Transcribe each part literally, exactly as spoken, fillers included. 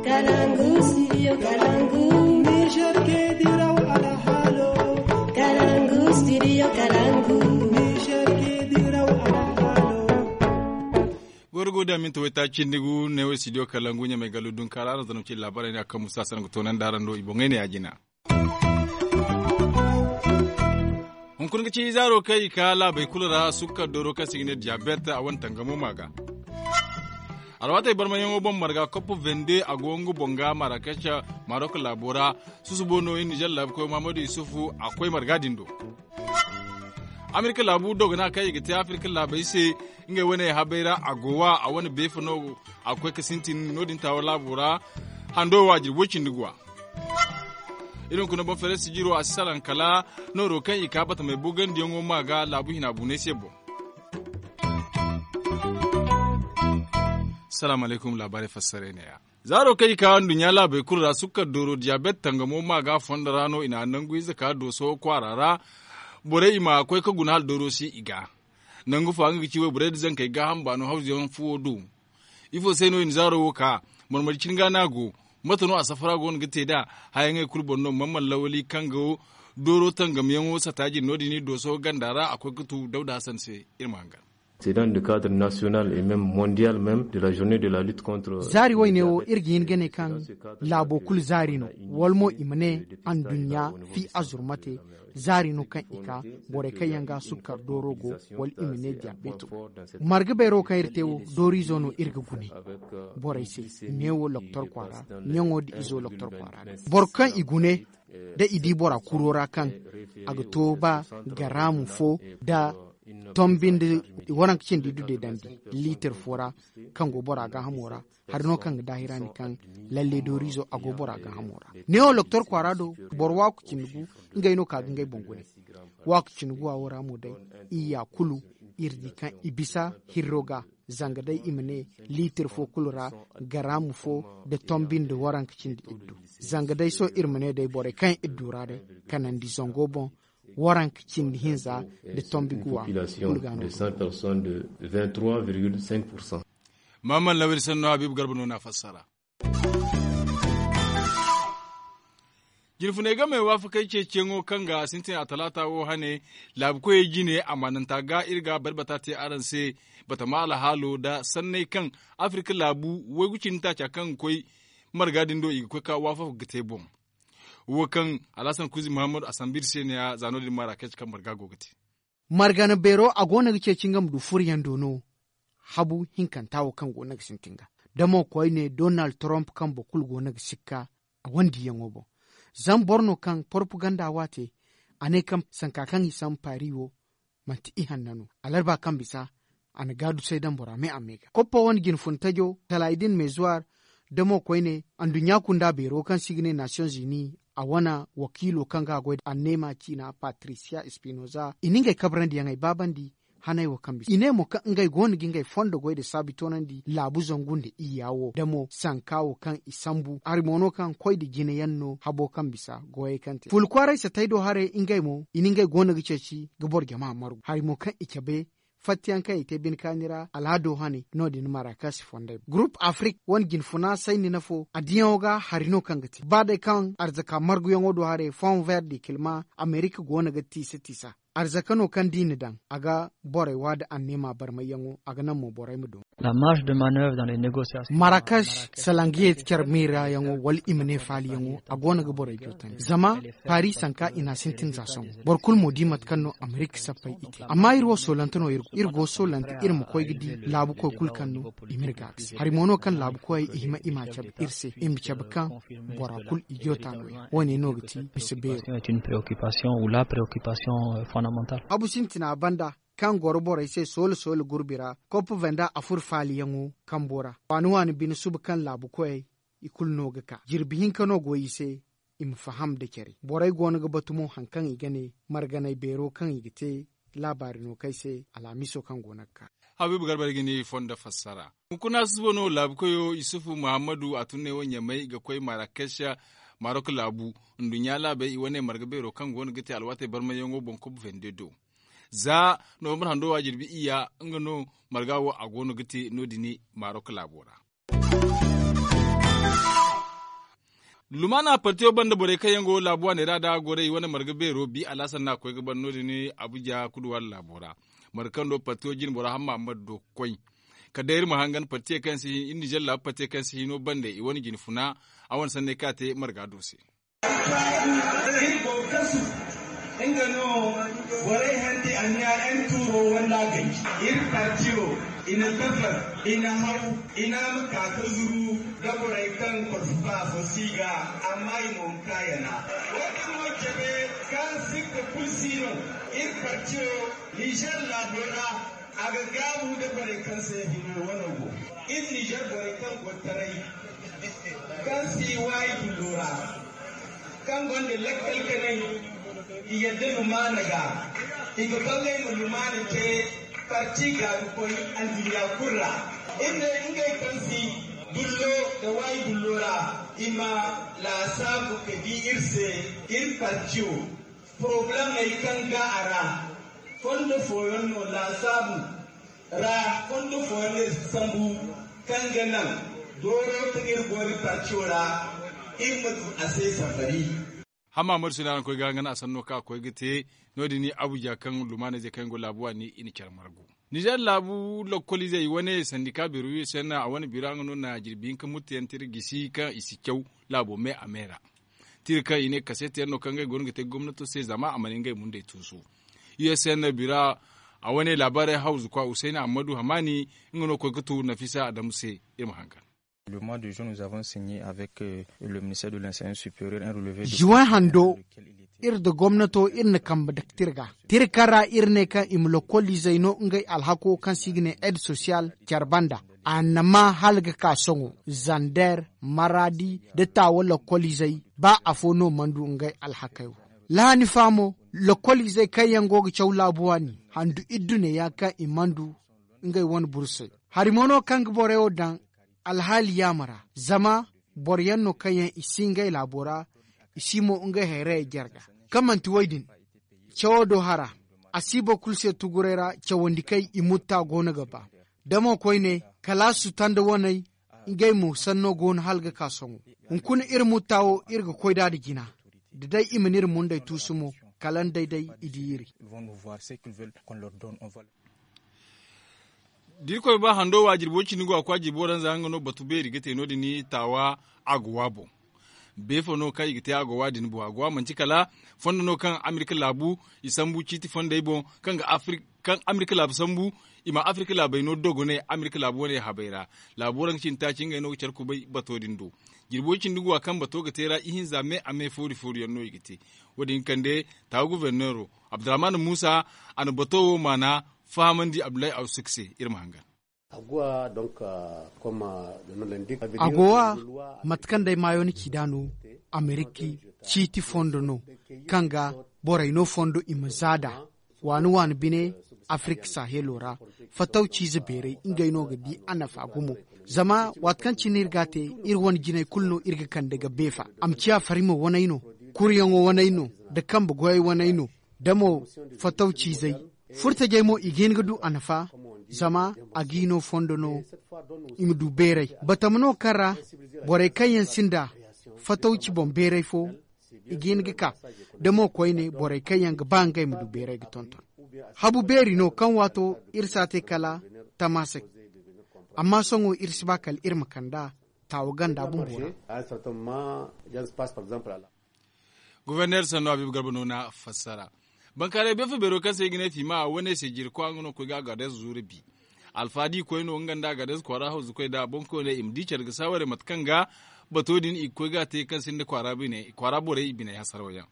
Kalangu, studio Kalangu. Niger ke diraw alhalo. Kalangu, studio Kalangu. Niger ke diraw alhalo. Gorgo da minti wayta cindi gu ne wo studio Kalangu ɲamay gallu dunkaara araŋ zanaw ci labaarey ne a kaŋ musa sanaŋ ga toonandi araŋ do i boŋey ne ya jina. Hunkuna ga ci zaaro kaŋ i ka laabey kulu ra sukkar dooro kaŋ se i ga ne diyabet a wane tangamo ma ga. Alwaatey barmayaŋo boŋ marga kopp vende a go nga boŋ ga marakec marok laabo ra. Susubo no i nizer laabu koy muhammadu yusufu a koy marga din do. Amerika laabu dogona kaŋ i ga te afirka laabey se ngey wane habey ra a go wa a wane beefa no a ga koy ga sintin no- din taawa laabo ra. Hando waajiri way cindi guwa. Iri hunkuna boŋ feere sijiro a si salaŋ kala nooro kaŋ i ka batamey bogandiyaŋo ma ga laabu hina bunay se boŋ. Salaamu alaykum laabaarey fassaray ne- ya. Zaaro kaŋ i ka nduɲɲa laabey kulu ra sukkar dooro diyabet tangamo ma ga fondo ra no i na nangu ize ka dooso kwaara ra. Borey i ma koy ga guna hala dooro si i ga nangu fa nga ga ci wayborey nda zankey gaaham baano hawzuyaŋ fuwo do. Ifo se no i na zaaro wo ka? Marmari cini ga no a go? Mate no a safara go no ga te nd'a? Hayaŋey kulu boŋ no mamman lawali kaŋ go dooro tangamyaŋo sata jine no- din i dooso ganda ra a koy ga tu dawda hasan se. Iri ma hangan. Sedan de cadre national et même mondial même de la journée de la lutte contre zaari wayne wo iri ga hin ga ne kaŋ laabo kulu zaari no wala mo i ma ne anduɲɲa fi azurmate zaari no kaŋ i ka borey kaŋ yaŋ ga sukkar dooro go wala i ma ne diyabeto. Marga beero kaŋ iri te wo dooriizo no iri ga gune borey se. Neewo loktor kwaara ɲaŋo nda izo loktor kwaara ga boro kaŋ i gune da i di bora kuro ra kaŋ a ga to ba garaamu fo nda tombi nda waranka cindi du deedandi liitir fo ra kaŋ go bora gaahamo ra. Hari no kaŋ ga daahirandi kaŋ lalle dooriizo a go bora gaahamo ra. Neewo loktor kwaara do boro waaku cindi gu ngey no ka ga ngey boŋ gune. Waaku cindi guwa wo ra mo day iyya kulu iri di kaŋ i bisa hirro ga. Zanga day i ma ne liitir fo kulu ra garaamu fo nda tombi nda waranka cindi iddu. Zanga day sohõ iri ma ne day borey kaŋ iri du ra day kanandi zango boŋ waranka cindi hinza nda tombi guwa kulu ga no. Maamman lawir sanno habiibu garba no na fassara. Jinfuney game waafakey ceeciyaŋo kaŋ ga sintin a talaata wo hane laabu koyey jine amaananta ga iri ga barbata te araŋ se. Batama alhaalo nda sanney kaŋ afirka laabu waygu cindi taaca kaŋ ga koy marga din do i ga koy ka waafaka ga te boŋ. Wo kaŋ alhasan kuzi muhammadu a sambu iri se ne- ya za no- din marrakech kaŋ marga go ga te. Margana beero a go no ga ceeci nga ma du furo yaŋ do no. Habu hinkanta wo kaŋ go no ga sintin ga da mo koyne donald trump kaŋ boro kulu go no ga sikka a wane diyaŋo boŋ. Zama boro no kaŋ porpaganda waate a ne kaŋ sanka kaŋ i sambu paari wo manti ihanna no. Alarba kaŋ bisa a na gaadusay daŋ bora me a me ga koppa wane jinfuntajo talaay din mezuwar da mo koyne anduɲɲa kunda beero kaŋ se i ga ne nation zini a wane wakiilo kaŋ ga a goy da anneema ciina patrisiya espinoza i na ngey kabrandiyaŋey baabandi. Haney wo kaŋ bisa i ne mo kaŋ ngey go no ga ngey fondo goy da saabi toonandi laabu zangu nda iyya wo da mo sanka wo kaŋ i sambu hari mo no kaŋ koy nda jine yaŋ no habo kaŋ bisa goyey kaŋ te fulu kwaaray satay do haray ngey mo i na ngey go no ga ceeci ga boro jama margu hari mo kaŋ i cabe fattayaŋ kaŋ i te bine kaani ra alhado hane no- din marakas fondey gurup afrik wane jinfuna sayni na fo addiyaŋo ga hari no kaŋ ga te ba day kaŋ arzaka marguyaŋo do haray fond ver de kilma amerika go no ga tiisa tiisa arzaka no kaŋ da i na daŋ a ga borey wa nda anneema barmayyaŋo a ga naŋ mo borey ma doŋ. Marakash salangiyey care miira yaŋo wala i ma ne faali yaŋo a go no ga borey jootandi zama paari sanka i na a sintin za sohõ. Boro kulu mo di mate kaŋ no amerika sappey i te amma iri wo soolante no iri go soolante iri ma koy ga di laabukoy kulu kaŋ no i ma iri ga a ga se hari mo no kaŋ laabukoyey i hima i ma a cabe iri se i ma cabe kaŋ bora kulu i joota no- ya wo- ne no ga ti bisa beero. Habu sintina banda kaŋ goro borey se soola soola gurbi ra koppa venda a furo faaliyaŋo kambo ra waani waani bine suba kaŋ laabukoyey i kulu no ga ka jirbi hinka no go i se. I ma faham nda care borey go no ga batu mo hari kaŋ i ga ne marganay beero kaŋ i ga te laabaari no kay se alhamiso kaŋ go no ga ka. Habiibu garba ga ni fondo fassara. Hunkuna susubo no laabukoyo yusufu muhammadu a tun ne wo ɲamay ga koy marakasha marok laabu nduɲɲa laabey i wane marga beero kaŋ go no ga te alwaatey barmayyaŋo boŋ kob vende do. Za nowambar hando wa jirbi iyya nga no marga wo a go no ga te no- din marok laabo ra. Lumaana partiyo banda borey kaŋ yaŋ go laabu waaney ra da goray wane marga beero bi alhasan no a koy ga ban no- din abuja kuduwaari laabo ra. Marga kaŋ do partiyo jine bora hamma amma do ga koy kala day iri ma hangan partiyo kaŋ si hin iri nizer laabu partiyo kaŋ si hino banda i wane jine funa a wane sanney kaŋ a te marga do se. Iri go ga kasu nga no. Borey handi anniya n tuuro wanda gay iri partiyo i na dafar i na haw i na ma ka ga zuru da borey kaŋ korfu ba fo si ga. Amma i mo ma ka yana wo- din no cabe kaŋ sikka kulu si no. Iri partiyo nizer laabo ra a ga gaabu nda borey kaŋ se hino wano go. Iri nizer borey kaŋ go taray kaŋ si waayi dullo ra kaŋ gonda lakkal kanay i yadda lumaana ga i ga bangay ma lumaana te. Parti ga ga koy anduɲɲa kulu ra iri ne ngey kaŋ si dullo nda waayi dullo ra i ma laasaabu ga di iri se iri partiyo porobalemey kaŋ ga a ra fondo fooyaŋ no laasaabu ra fondo fooyaŋ no iri si sambu kaŋ ga naŋ dooro kaŋ iri go iri partiyo ra iri ma du a se safari. Hamma mari sina araŋ koy ga hangan a sanno kaŋ a koy ga te no- din abuja kaŋ lumaanayzey kaŋ yaŋ go laabu waani i na care margu. Nizer laabu lokoliizey wane sandika beero u s n a wane bira nga no na jirbi hinka muttu yaŋ te iri gisi kaŋ i si caw laabo me a me ra. Tira kaŋ i ne kaseeti yaŋ no kaŋ ngey go no ga te gomnato se zama a mana ngey mundey tuusu. U s n bira a wane laabaarey hawzu kwa husayna ammadu hamaani nga no koy ga tu nafisa adamu se. Iri ma hangan. Juwen hando iri nda gomnato iri na kambe daktir ga tira kaŋ ra iri ne kaŋ i ma lokoliizey no ngey alhako kaŋ se i ga ne ed sosiyal care banda. A na ma hala ga ka sohõ zander maradi nda taawa lokoliizey ba afo no mana du ngey alhakey wo. Lahani fa mo lokoliizey kaŋ yaŋ go ga caw laabu waani handu iddu ne yaŋ kaŋ i mana du ngey wane bursey. Hari mo no kaŋ ga borey wo daŋ alhaali yaama ra zama boro yaŋ no kaŋ yaŋ i si ngey laabo ra i si mo ngey hayrayey jare ga. Kaŋ manti wo- din cawo do hara a si boro kulu se tuguray ra cawandikey i mutta go no ga ba. Da mo koyne kalaasu tanda waney ngey mo sanno go no hala ga ka sohõ. Hunkuna iri mutta wo iri ga koy nd'a nda jina da day i mana iri mundey tuusu mo kala nda day day i di iri. Da irkoy ba hando wa jirbi wo- cindi go a kwa jirbi waranza nga no batu beeri ga te no- din taawa agowa boŋ. Beefo no kaŋ i ga te agowa din boŋ agowa manti kala fondo no kaŋ amerika laabu i sambu ciiti fondey boŋ kaŋ ga afirka kaŋ amerika laabu sambu i ma afirka laabey no dogonay amerika laabu wane habey ra. Laabu waranka cindi taaci ngey no ga care kubay bato din do. Jirbi wo- cindi go a kaŋ bato ga te ra ihinza me a me foori foori yaŋ no i ga te. Wo- din kande taawa guberneero abdurrahman muusa a na bato wo maana fahamandi abdullahi awsuk se. Iri ma hangan. Agowa mate kaŋ day maayo ni ci nd'a no amerika ciiti fondo no kaŋ ga borey no fondo i ma za nd'a waani waani bine afirka sahelo ra. Fatawciize beeray ngey no ga di a nafa gumo. Zama waati kaŋ cine iri ga a te iri wane jinay kulu no iri ga kande ga beefa a ma ciya farima waney no, kuryaŋo waney no, nda kambe goyey waney no, da mo fatawciizey furtajey mo i ga hin ga du a nafa. Zama a ga i no fondo no i ma du beeray batama no kaŋ ra borey kaŋ yaŋ sinda fatawci boŋ beeray fo i ga hin ga ka. Da mo koyne borey kaŋ yaŋ ga ba ngey ma du beeray ga tonton habu beeri no kaŋ waato iri si a te kala tamaasak. Amma sohõ iri si ba kala iri ma kand'a taawa ganda bumbo ra. Guberner sanno habiibu garba no na fassara. Bankaaray beefo beero kaŋ se i ga ne fiima a wane se jirkwa nga no ga koy ga agades zuura bi. Alfaadi koy no nga nda agades kwaara hawzu koy da boŋ koy ne i ma di care ga saawaray mate kaŋ ga bato din i ga koy ga a te kaŋ sinda kwaara borey i biney hasaraw yaŋ.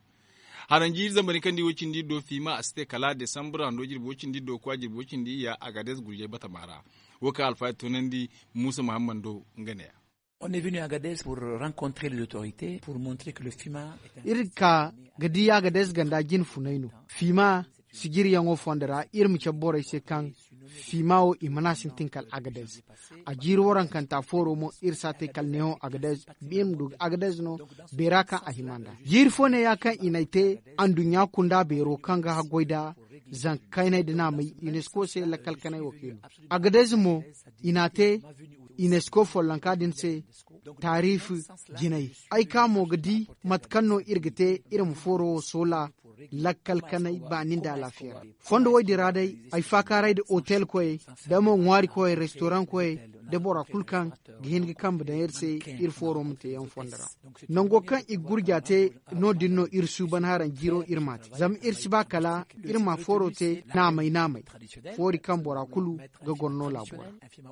Haranji zambar ni kaŋ di wo cindi do fiima a si te kala desambur hando jirbi wo cindi do kwa jirbi wo cindi ya agades gurjey batama ra. Wo kaŋ alfaadi toonandi muusa muhammad do nga ne ya. On est venu à Agadez pour rencontrer les autorités pour montrer que le fima est un iri ka ga di agadez ganda jine funay no. Fima sijiriyaŋo fondo ra iri ma cabe borey se kaŋ fima wo i mana sintin kala agadez. A jiiri warankanta fooro mo iri si a te kala neewo agadez iri ma du ga agadez no. Beera kaŋ a hima nd'a jiiri fo ne ya kaŋ i n'ay te anduɲɲa kunda beero kaŋ ga haggoy nd'a zanka kaynay nda naamay unesco se lakkal kanay wakiilo. Agadez mo i n'a te unesco follonka din se. Taariifi jinay, ay ka mo ga di mate kaŋ no iri ga te iri ma fooro wo soola lakkal kanay baani nda alaafiya ra. Fondo wo- din ra day, ay faakaaray nda otel koyey, nda mo ŋwaari koyey restoraŋ koyey, nda bora kulu kaŋ ga hin ga kambe daŋ iri se, iri fooro ma te yaŋ fondo ra. Nango kaŋ i ga gurja te, no- din no iri suuban haraŋ jiiro iri m'a te zama iri si ba kala iri ma fooro te naamay naamay, foori kaŋ bora kulu ga goro no laabo ra.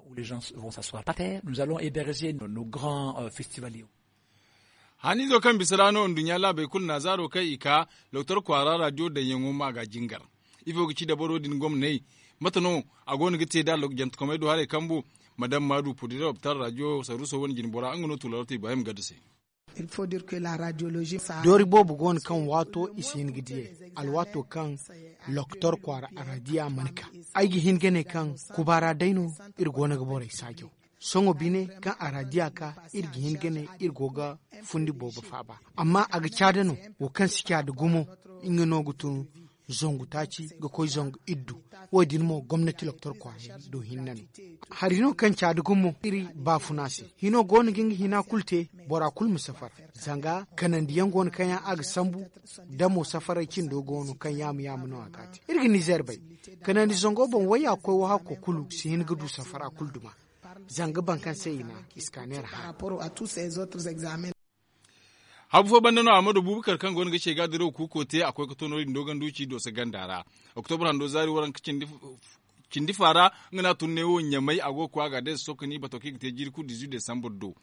Où les gens vont s'asseoir par terre, nous allons héberger nos, nos grands euh, festivaliers. Haniizo kaŋ bisa ra no nduɲɲa laabey kulu na zaaro kaŋ i ka, loktor kwaara raadiyo daŋyaŋo ma ga jingar. Ifo ga ci dabaro din gomney? Mate no a go no ga te da jantakomey do haray kambu? Madam maadu pudira lopitaal raadiyo saruuso wane jine bora nga no tuularota ibrahim gadda se. Doori boobo go no kaŋ waato i si hin ga diyey, alwaato kaŋ loktor kwaara araadiya mana ka. Ay ga hin ga ne kaŋ kubaara day no iri go no ga borey saajaw. Sohõ bine kaŋ araadiya ka, iri ga hin ga ne iri go ga fundi boobo faaba. Amma a ga caada no, wo kaŋ si caada gumo, nga no ga tun zangu taaci ga koy zangu iddu. Wo- din mo gomnati loktor kwaarey do hinne no. Hari no kaŋ caada gumo iri baafuna se, hino go no ga nga hina kulu te. Bora kulu ma safar, zanga kanandiyaŋ go no kaŋ yaŋ a ga sambu, damo safaray cindo go no kaŋ yaama yaama no a ga a te. Iri ga nizeer bay, kanandi zango boŋ wayya koy wo hakko kulu si hin ga du safara kulu duma. Zanga baŋ kaŋ se i na iskaneer hara. Habu fo banda no amadu bubakar kaŋ go no ga ce ga diraw kuuko te a koy ga to no- din doganduci dooso ganda ra. Oktobar hando zaari waranka cindi fa ra, nga no a tun neewo ɲamay a go ga koy a ga day sosokani bato kaŋ i ga te jiiri kulu dizu desambar do.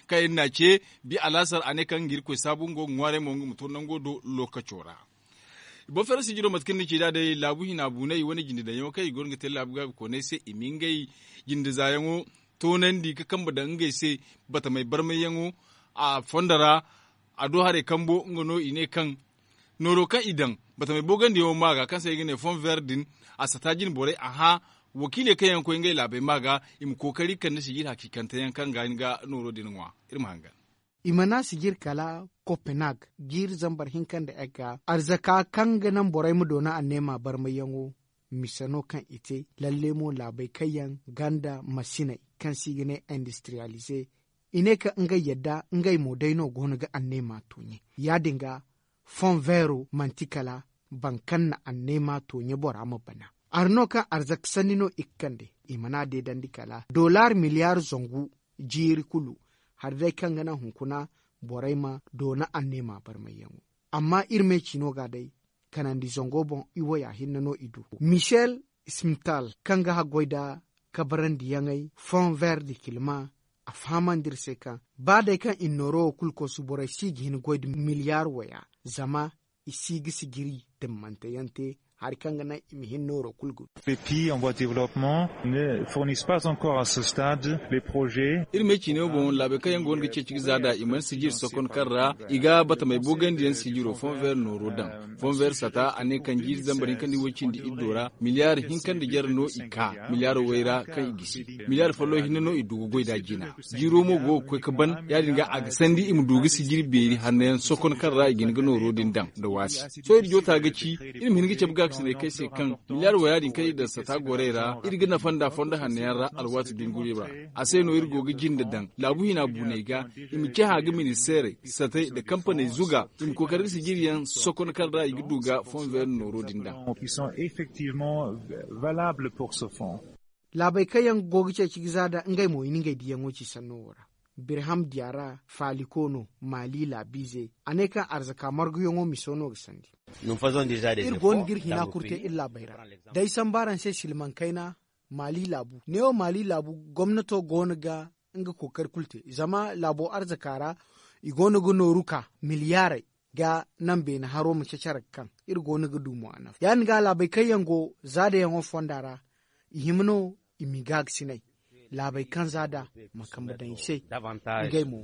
Kaŋ iri n'a ce bi alaasar a ne kaŋ nga irkoy saabu nga go ga ŋwaaray mo nga ma to nango do lookaco ra. Boŋ feera sijiro mate kaŋ ni ci nd'a day laabu hina buunay wane jinde daŋyaŋo kaŋ i go no ga te laabu gaabi koonay se i ma ngey jinde zaayaŋo toonandi ga kambe daŋ ngey se. Batamey barmayyaŋo a fondo ra a do haray kambo nga no i ne kaŋ nooro kaŋ i daŋ batamey boogandiyaŋo ma ga kaŋ se i ga ne fon ver din a sata jine borey a hã wakiiley kaŋ yaŋ ga koy ngey laabey ma ga i ma kookari kande sijir hakiikanteyaŋ kaŋ ga hin ga nooro din ŋwa. Iri ma hangan. I mana sijir kala kopenhag jiiri zambar hinka nda egga arzaka kaŋ ga naŋ borey ma doona anneema barmayyaŋo. Mise no kaŋ i te lalle mo laabey kaŋ yaŋ ganda masiney kaŋ se i ga ne industiriyalize. I ne kaŋ ngey yadda ngey mo day no go no ga anneema tooɲe. Ya- din ga fon veero manti kala boro kaŋ na anneema tooɲe bora ma bana. Hari no kaŋ arzaka sanni no i ga kande i mana deedandi kala dollar miliyaar zangu jiiri kulu. Hari day kaŋ ga naŋ hunkuna borey ma doona anneema barmayyaŋo. Amma iri me ciino ga day kanandi zango boŋ i waya hinne no i du. Michel smithal kaŋ ga haggoy nda kabarandiyaŋey fon ver de kilma a fahamandi iri se kaŋ ba day kaŋ i na nooro wo kulu kosu borey si ga hin goy nda miliyaar waya zama i si ga sijiri dimmanteyaŋ te hari kaŋ ga naŋ i ma hin nooro kulu ga du. Iri me ciine wo boŋ laabey kaŋ yaŋ go no ga ceeci ga za nd'a i mana sijiri sokon kaŋ ra i ga batamey boogandi yaŋ sijiro fon ver nooro daŋ. Fon ver sata a ne kaŋ jiiri zambar hinka nda i way cindi iddo ra miliyaar hinka nda jare no i ka miliyaar way ra kaŋ i gisi. Miliyaar folloŋ hinne no i du ga goy nd'a jina. Jiiro mo go ga koy ga ban ya- din ga a ga sandi i ma du ga sijiri beeri hanno yaŋ sokon kaŋ ra i ga hin ga nooro din daŋ nda waasi. Sohõ iri joota ga ci iri ma hin ga cabe gaakasinay kaŋ ay se kaŋ miliyaar waya din kaŋ iri daŋ sata gorey ra iri ga nafa nd'a fondo hanno yaŋ ra alwaati dunguri ra. A se no iri go ga jinde daŋ laabu hina buuney ga i ma cahã ga ministeerey satey nda kampaney zuga i ma kookari ga sijiriyaŋ sokon kaŋ ra i ga du ga fon ver nooro din daŋ. Laabey kaŋ yaŋ go ga ceeci ga za nd'a ngey mo i na ngey diyaŋo ci sanno wo ra. Birham diyara faaliko no maali laabiize a ne kaŋ arzaka marguyaŋo miso no ga sandi. Iri go no ga iri hina kulu te iri laabey ra. Day samba araŋ se silmaŋ kayna maali laabu neewo maali laabu gomnato go no ga nga kookari kulu te zama laabo arzaka ra i go no ga nooru ka miliyaaray ga naŋ beene haro ma cacare ga kaŋ iri go no ga du mo a nafa ya- din ga laabey kaŋ yaŋ go zaadayaŋo fonda ra i hima no i ma i gaagasinay laabey kaŋ zaada ma kambe daŋ i se. Ngey mo.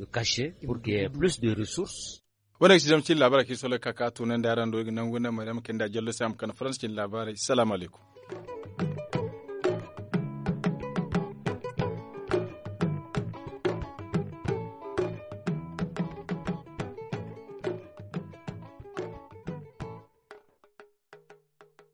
Wane ga si zama cine laabaarey kaŋ iri sooley ga ka ka tunandi araŋ do iri ga nangu nda maryam kayna nda jallo se a ma kande faransa cine laabaarey salaamu alaykum.